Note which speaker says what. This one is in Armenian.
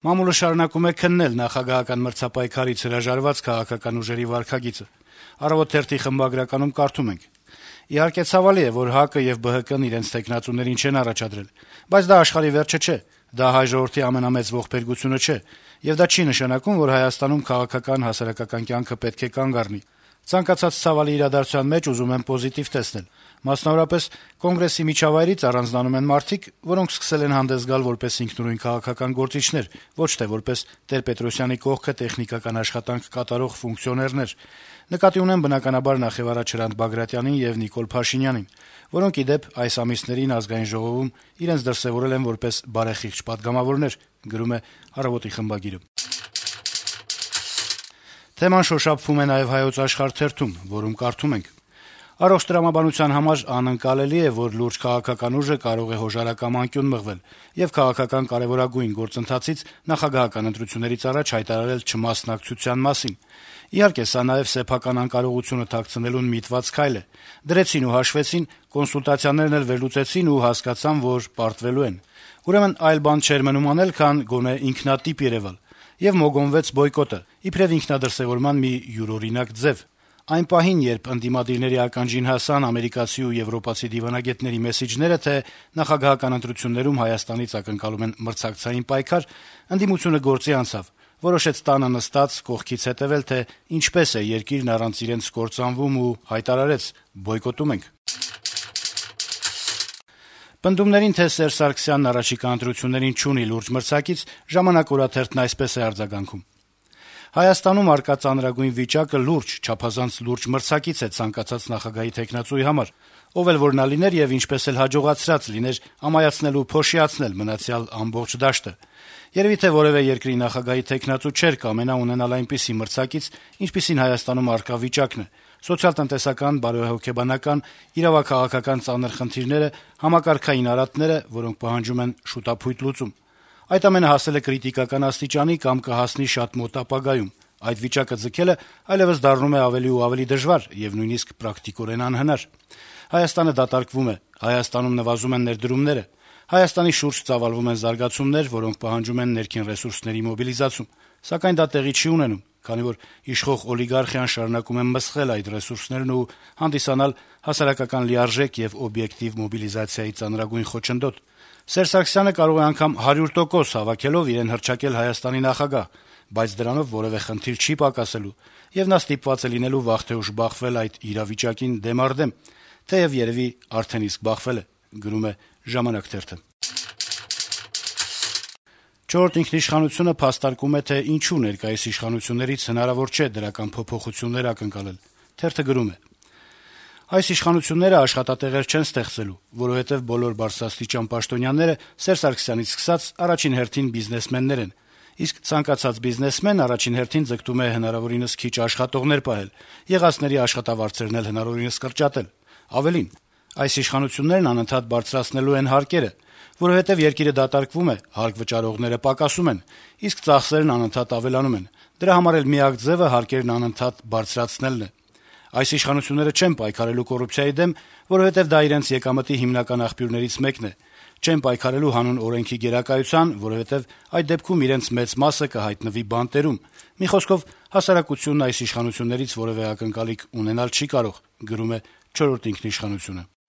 Speaker 1: Մամուլը շարունակում է քննել նախագահական մրցապայքարից հրաժարված քաղաքական ուժերի վարքագիծը։ «Առավոտ» թերթի խմբագրականում կարդում ենք. - «Իհարկե ցավալի է, որ ՀԱԿ-ը եւ ԲՀԿ-ն իրենց թեկնածուներին չեն առաջադրել, բայց դա աշխարհի վերջը չէ, դա հայ ժողովրդի ամենամեծ ողբերգությունը չէ, եւ դա չի նշանակում, որ Հայաստանում քաղաքական հասարակական կյանքը պետք է կանգ առնի։ Ցանկացած ցավալի իրադարձության մեջ ուզում եմ պոզիտիվ տեսնել։ Մասնավորապես, Կոնգրեսի միջավայրից առանձնանում են մարդիկ, որոնք սկսել են հանդես գալ որպես ինքնուրույն քաղաքական գործիչներ, ոչ թե որպես Տեր-Պետրոսյանի կողքը տեխնիկական աշխատանք կատարող ֆունկցիոներներ։ Նկատի ունեմ բնականաբար նախևառաջ Հրանտ Բագրատյանին եւ Նիկոլ Փաշինյանին, որոնք, ի դեպ, այս ամիսներին Ազգային ժողովում իրենց դրսեւորել են որպես բարեխիղճ պատգամավորներ», գրում է «Առավոտ»-ի խմբագիրը։ Թեման շոշափվում է նաեւ «Հայոց Աշխարհ» թերթում, որում կարդում ենք. - «Առողջ տրամաբանության համար անընկալելի է, որ լուրջ քաղաքական ուժը կարող է հոժարակամ անկյուն մղվել եւ քաղաքական կարեւորագույն գործընթացից նախագահական ընտրություններից առաջ հայտարարել չմասնակցության մասին։ Իհարկե, սա նաեւ սեփական անկարողությունը թաքցնելուն միտված քայլ է։ Դրեցին ու հաշվեցին, կոնսուլտացիաներն էլ վերլուծեցին ու հասկացան, որ պարտվելու են։ Ուրեմն այլ բան չէր մնում անել, քան գոնե ինքնատիպ երեւալ։ Եվ մոգոնվեց բոյկոտը, իբրեւ ինքնադրսեւորման մի յուրօրինակ ձեւ։ Այն պահին, երբ ընդդիմադիրների ականջին հասան ամերիկացի ու եվրոպացի դիվանագետների մեսիջները, թե նախագահական ընտրություններում Հայաստանից ակնկալում են մրցակցային պայքար, ընդդիմությունը գործի անցավ, որոշեց տանը նստած կողքից հետեւել, թե ինչպես է երկիրն առանց իրենց կործանվում ու հայտարարեց՝ բոյկոտում ենք»։ Պնդումներին, թե Սերժ Սարգսյանն առաջիկա ընտրություններին չունի լուրջ մրցակից, «Ժամանակ» օրաթերթն այսպես է արձագանքում. - «Հայաստանում առկա ծանրագույն վիճակը լուրջ, չափազանց լուրջ մրցակից է ցանկացած նախագահի թեկնածուի համար, ով էլ որ նա լիներ եւ ինչպես էլ հաջողացրած լիներ ամայացնել ու փոշիացնել մնացյալ ամբողջ դաշտը։ Երեւի թե որեւէ երկրի նախագահի թեկնածու չէր կամենա ունենալ այնպիսի մրցակից, ինչպիսին Հայաստանում առկա վիճակն է՝ սոցիալ-տնտեսական, բարոյահոգեբանական, իրավաքաղաքական ծանր խնդիրները, համակարգային արատները, որոնք պահանջում են շուտափույթ լուծում։ Այդ ամենը հասել է կրիտիկական աստիճանի կամ կհասնի շատ մոտ ապագայում։ Այդ վիճակը ձգելը այլեւս դառնում է ավելի ու ավելի դժվար եւ նույնիսկ պրակտիկորեն անհնար։ Հայաստանը դատարկվում է, Հայաստանում նվազում են ներդրումները, Հայաստանի շուրջ ծավալվում են զարգացումներ, որոնք պահանջում են ներքին ռեսուրսների մոբիլիզացում, սակայն դա տեղի չի ունենում, քանի որ իշխող օլիգարխիան շարունակում է մսխել այդ ռեսուրսներն ու հանդիսանալ հասարակական լիարժեք եւ օբյեկտիվ մոբիլիզացիայի ծանրագույն խոչընդոտ։ Սերժ Սարգսյանը կարող է անգամ 100% հավաքելով իրեն հռչակել Հայաստանի նախագահ, բայց դրանով որեւէ խնդիր չի պակասելու, եւ նա ստիպված է լինելու վաղ թե ուշ բախվել այդ իրավիճակին դեմ առ դեմ, թեեւ երեւի արդեն իսկ բախվել է», գրում է «Ժամանակ» թերթը։ «Չորրորդ ինքնիշխանություն»-ը փաստարկում է, թե ինչու ներկայիս իշխանություններից հնարավոր չէ դրական փոփոխություններ ակնկալել։ Թերթը գրում է. - «Այս իշխանությունները աշխատատեղեր չեն ստեղծելու, որովհետեւ բոլոր բարձրաստիճան պաշտոնյաները Սերժ Սարգսյանից սկսած առաջին հերթին բիզնեսմեններ են, իսկ ցանկացած բիզնեսմեն առաջին հերթին ձգտում է հնարավորինս քիչ աշխատողներ պահել, եղածների աշխատավարձերն էլ հնարավորինս կրճատել։ Ավելին, այս իշխանություններն անընդհատ բարձրացնելու են հարկերը, որովհետեւ երկիրը դատարկվում է, հարկ վճարողները պակասում են, իսկ ծախսերն անընդհատ ավելանում են։ Դրա համար էլ միակ ձեւը հարկերն անընդհատ բարձրացնելն է։ Այս իշխանությունները չեն պայքարելու կոռուպցիայի դեմ, որովհետեւ դա իրենց եկամտի հիմնական աղբյուրներից մեկն է։ Չեն պայքարելու հանուն օրենքի գերակայության, որովհետեւ այդ դեպքում իրենց մեծ մասը կհայտնվի բանտերում։ Մի խոսքով, հասարակությունն այս իշխանություններից որեւէ ակնկալիք ունենալ չի կարող», գրում է «Չորրորդ ինքնիշխանություն»-ը։